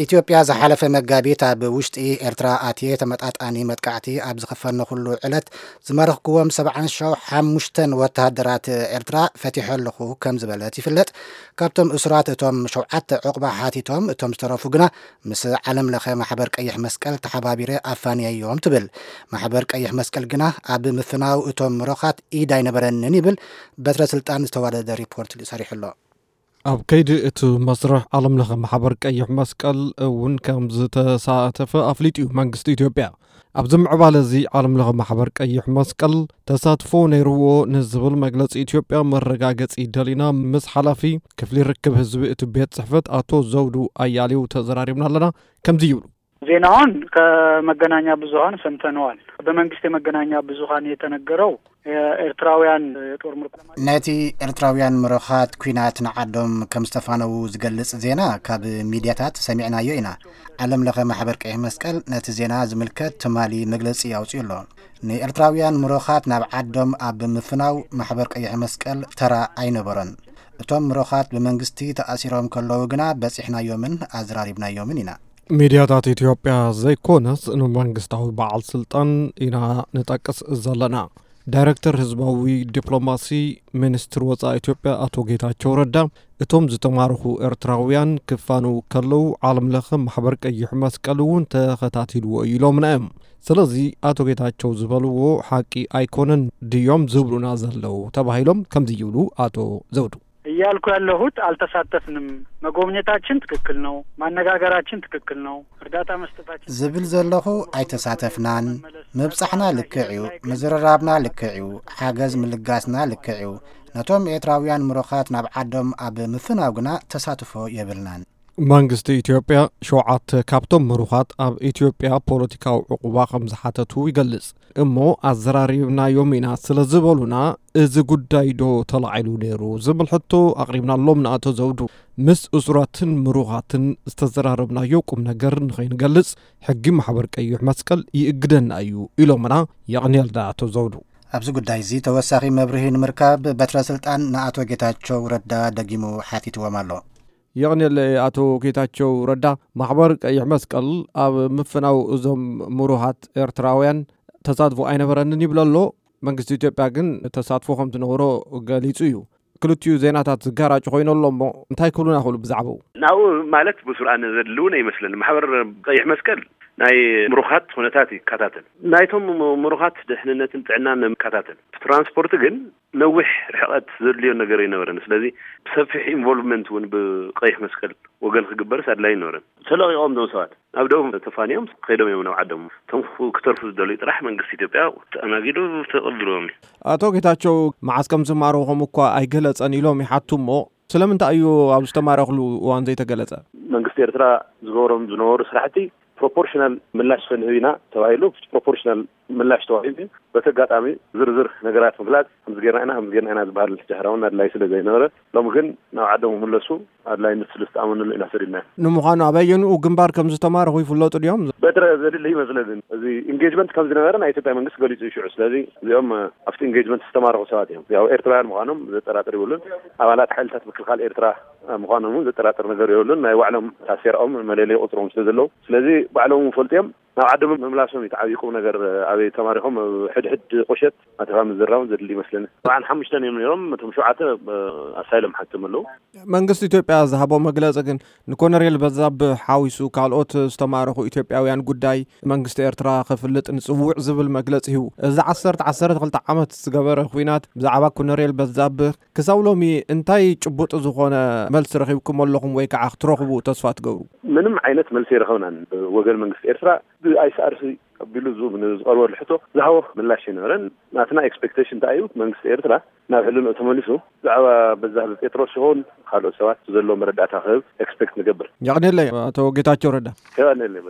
ኢትዮጵያ ዝሓለፈ መጋቢት ኣብ ውሽጢ ኤርትራ ኣትየ ተመጣጣኒ መጥቃዕቲ ኣብ ዝኸፈንኩሉ ዕለት ዝማረኽኩዎም ሰብዓን ሓሙሽተን ወተሃደራት ኤርትራ ፈቲሐ ኣለኹ ከም ዝበለት ይፍለጥ። ካብቶም እሱራት እቶም ሸውዓተ ዕቑባ ሓቲቶም፣ እቶም ዝተረፉ ግና ምስ ዓለም ለኸ ማሕበር ቀይሕ መስቀል ተሓባቢረ ኣፋንየዮም ትብል። ማሕበር ቀይሕ መስቀል ግና ኣብ ምፍናው እቶም ምሩኻት ኢድ ኣይነበረንን ይብል። በትረ ስልጣን ዝተዋደደ ሪፖርት ሰሪሑ ኣሎ። ኣብ ከይዲ እቲ መስርሕ ዓለም ለኸ ማሕበር ቀይሕ መስቀል እውን ከም ዝተሳተፈ ኣፍሊጡ እዩ መንግስቲ ኢትዮጵያ። ኣብዚ ምዕባለ እዚ ዓለም ለኸ ማሕበር ቀይሕ መስቀል ተሳትፎ ነይርዎ ንዝብል መግለፂ ኢትዮጵያ መረጋገፂ ደሊና ምስ ሓላፊ ክፍሊ ርክብ ህዝቢ እቲ ቤት ጽሕፈት ኣቶ ዘውዱ ኣያሌው ተዘራሪብና ኣለና። ከምዚ ይብሉ። ዜናውን ከመገናኛ ብዙኃን ሰምተነዋል። በመንግስት የመገናኛ ብዙኃን የተነገረው የኤርትራውያን የጦር ምርኮ ነቲ ኤርትራውያን ምሩኻት ኲናት ንዓዶም ከም ዝተፋነዉ ዝገልጽ ዜና ካብ ሚድያታት ሰሚዕናዮ ኢና። ዓለም ለኸ ማሕበር ቀይሕ መስቀል ነቲ ዜና ዝምልከት ትማሊ መግለጺ ኣውጺኡ ኣሎ። ንኤርትራውያን ምሩኻት ናብ ዓዶም ኣብ ምፍናው ማሕበር ቀይሕ መስቀል ተራ ኣይነበሮን። እቶም ምሩኻት ብመንግስቲ ተኣሲሮም ከለዉ ግና በጺሕናዮምን ኣዘራሪብናዮምን ኢና። ሚድያታት ኢትዮጵያ ዘይኮነስ ንመንግስታዊ በዓል ስልጣን ኢና ንጠቅስ ዘለና። ዳይሬክተር ህዝባዊ ዲፕሎማሲ ሚኒስትር ወፃኢ ኢትዮጵያ ኣቶ ጌታቸው ረዳ፣ እቶም ዝተማረኹ ኤርትራውያን ክፋኑ ከለዉ ዓለም ለኸ ማሕበር ቀይሕ መስቀል እውን ተኸታቲልዎ እዩ ኢሎምና እዮም። ስለዚ ኣቶ ጌታቸው ዝበልዎ ሓቂ ኣይኮነን ድዮም ዝብሉና ዘለዉ ተባሂሎም ከምዚ ይብሉ ኣቶ ዘውዱ። እያልኩ ያለሁት አልተሳተፍንም። መጎብኘታችን ትክክል ነው። ማነጋገራችን ትክክል ነው። እርዳታ መስጠታችን ዝብል ዘለኹ ኣይተሳተፍናን። ምብጻሕና ልክዕ እዩ፣ ምዝርራብና ልክዕ እዩ፣ ሓገዝ ምልጋስና ልክዕ እዩ። ነቶም ኤርትራውያን ምሩኻት ናብ ዓዶም ኣብ ምፍናው ግና ተሳትፎ የብልናን። መንግስቲ ኢትዮጵያ ሸውዓተ ካብቶም ምሩኻት ኣብ ኢትዮጵያ ፖለቲካዊ ዕቑባ ከም ዝሓተቱ ይገልጽ። እሞ ኣዘራሪብናዮም ኢና ስለ ዝበሉና፣ እዚ ጉዳይ ዶ ተላዒሉ ነይሩ ዝብል ሕቶ ኣቕሪብናሎም ንኣቶ ዘውዱ። ምስ እሱራትን ምሩኻትን ዝተዘራረብናዮ ቁም ነገር ንኸይንገልጽ ሕጊ ማሕበር ቀይሕ መስቀል ይእግደና እዩ ኢሎምና። የቕንየልና ኣቶ ዘውዱ። ኣብዚ ጉዳይ እዚ ተወሳኺ መብርሂ ንምርካብ በትረ ስልጣን ንኣቶ ጌታቸው ረዳ ደጊሙ ሓቲትዎም ኣሎ። የቕንየለይ ኣቶ ጌታቸው ረዳ። ማሕበር ቀይሕ መስቀል ኣብ ምፍናው እዞም ምሩኻት ኤርትራውያን ተሳትፎ ኣይነበረንን ይብል ኣሎ። መንግስቲ ኢትዮጵያ ግን ተሳትፎ ከም ዝነበሮ ገሊጹ እዩ። ክልቲኡ ዜናታት ዝጋራጭ ኮይኑ ኣሎ እሞ እንታይ ክብሉና ይኽእሉ ብዛዕባኡ? ናብኡ ማለት ብሱር ኣነ ዘድሊ እውን ኣይመስለኒ። ማሕበር ቀይሕ መስቀል ናይ ምሩኻት ኩነታት ይከታተል። ናይቶም ምሩኻት ድሕንነትን ጥዕናን ይከታተል። ትራንስፖርት ግን ነዊሕ ርሕቐት ዘድልዮ ነገር ኣይነበረን። ስለዚ ብሰፊሕ ኢንቮልቭመንት እውን ብቀይሕ መስቀል ወገን ክግበርስ ኣድላይ ኣይነበረን። ተለቒቖም እዞም ሰባት ናብ ደቡብ ተፋንዮም ከይዶም እዮም ናብ ዓዶም። እቶም ክተርፉ ዝደልዩ ጥራሕ መንግስቲ ኢትዮጵያ ተኣናጊዱ ተቐቢልዎም እዩ። ኣቶ ጌታቸው መዓስ ከም ዝማረኹም እኳ ኣይገለጸን ኢሎም ይሓቱ እሞ ስለምንታይ እዩ ኣብ ዝተማረኽሉ እዋን ዘይተገለጸ? መንግስቲ ኤርትራ ዝገብሮም ዝነበሩ ስራሕቲ ፕሮፖርሽናል ምላሽ ክንህብ ኢና ተባሂሉ፣ ፕሮፖርሽናል ምላሽ ተዋሂቡ እዩ። በቲ ኣጋጣሚ ዝርዝር ነገራት ምግላጽ፣ ከምዚ ጌርና ኢና፣ ከምዚ ጌርና ኢና ዝበሃል ድሕራውን ኣድላይ ስለ ዘይነበረ፣ ሎሚ ግን ናብ ዓዶም ክምለሱ ኣድላይነት ስለ ዝተኣመነሉ ኢና ሰዲድና። ንምዃኑ ኣበየንኡ ግንባር ከም ዝተማረኹ ይፍለጡ ድዮም? በትረ ዘድሊ ይመስለኒ። እዚ ኢንጌጅመንት ከም ዝነበረ ናይ ኢትዮጵያ መንግስቲ ገሊጹ እዩ ሽዑ። ስለዚ እዚኦም ኣብቲ ኢንጌጅመንት ዝተማረኹ ሰባት እዮም። ያው ኤርትራውያን ምዃኖም ዘጠራጥር ይብሉን፣ ኣባላት ሓይልታት ምክልኻል ኤርትራ ምዃኖም እውን ዘጠራጥር ነገር የብሉን። ናይ ባዕሎም ታሴራኦም መለለይ ቁጽሮም ስለ ዘለዉ፣ ስለዚ ባዕሎም እውን ፈልጡ እዮም። ናብ ዓዶም ምምላሶም እዩ እቲ ዓብዪ ቁም ነገር። ኣበይ ተማሪኾም ኣብ ሕድሕድ ቁሸት ኣተኻ ምዝራውን ዘድሊ ይመስለኒ። ሰብዓን ሓሙሽተን እዮም ነይሮም፣ እቶም ሸውዓተ ኣሳይሎም ሓቶም ኣለዉ። መንግስቲ ኢትዮጵያ ዝሃቦ መግለጺ ግን ንኮነሬል በዛብህ ሓዊሱ ካልኦት ዝተማረኹ ኢትዮጵያውያን ጉዳይ መንግስቲ ኤርትራ ክፍልጥ ንጽውዕ ዝብል መግለጺ ሂቡ። እዚ ዓሰርተ ዓሰርተ ክልተ ዓመት ዝገበረ ኲናት ብዛዕባ ኮነሬል በዛብህ ክሳብ ሎሚ እንታይ ጭቡጥ ዝኾነ መልሲ ረኺብኩም ኣለኹም ወይ ከዓ ክትረኽቡ ተስፋ ትገብሩ? ምንም ዓይነት መልሲ ኣይረኸብናን። ወገን መንግስቲ ኤርትራ ብኣይሲኣርሲ ኣቢሉ ዝ-፣ ንዝቐርበሉ ሕቶ ዝሃቦ ምላሽ ኣይነበረን። ናትና ኤክስፔክቴሽን እንታይ እዩ? መንግስቲ ኤርትራ ናብ ሕልንኡ ተመሊሱ ብዛዕባ በዛብህ ጴጥሮስ ይኹን ካልኦት ሰባት ዘሎ መረዳእታ ክህብ ኤክስፔክት ንገብር። የቕንየለይ ኣቶ ጌታቸው ረዳ። የቐንየለይ።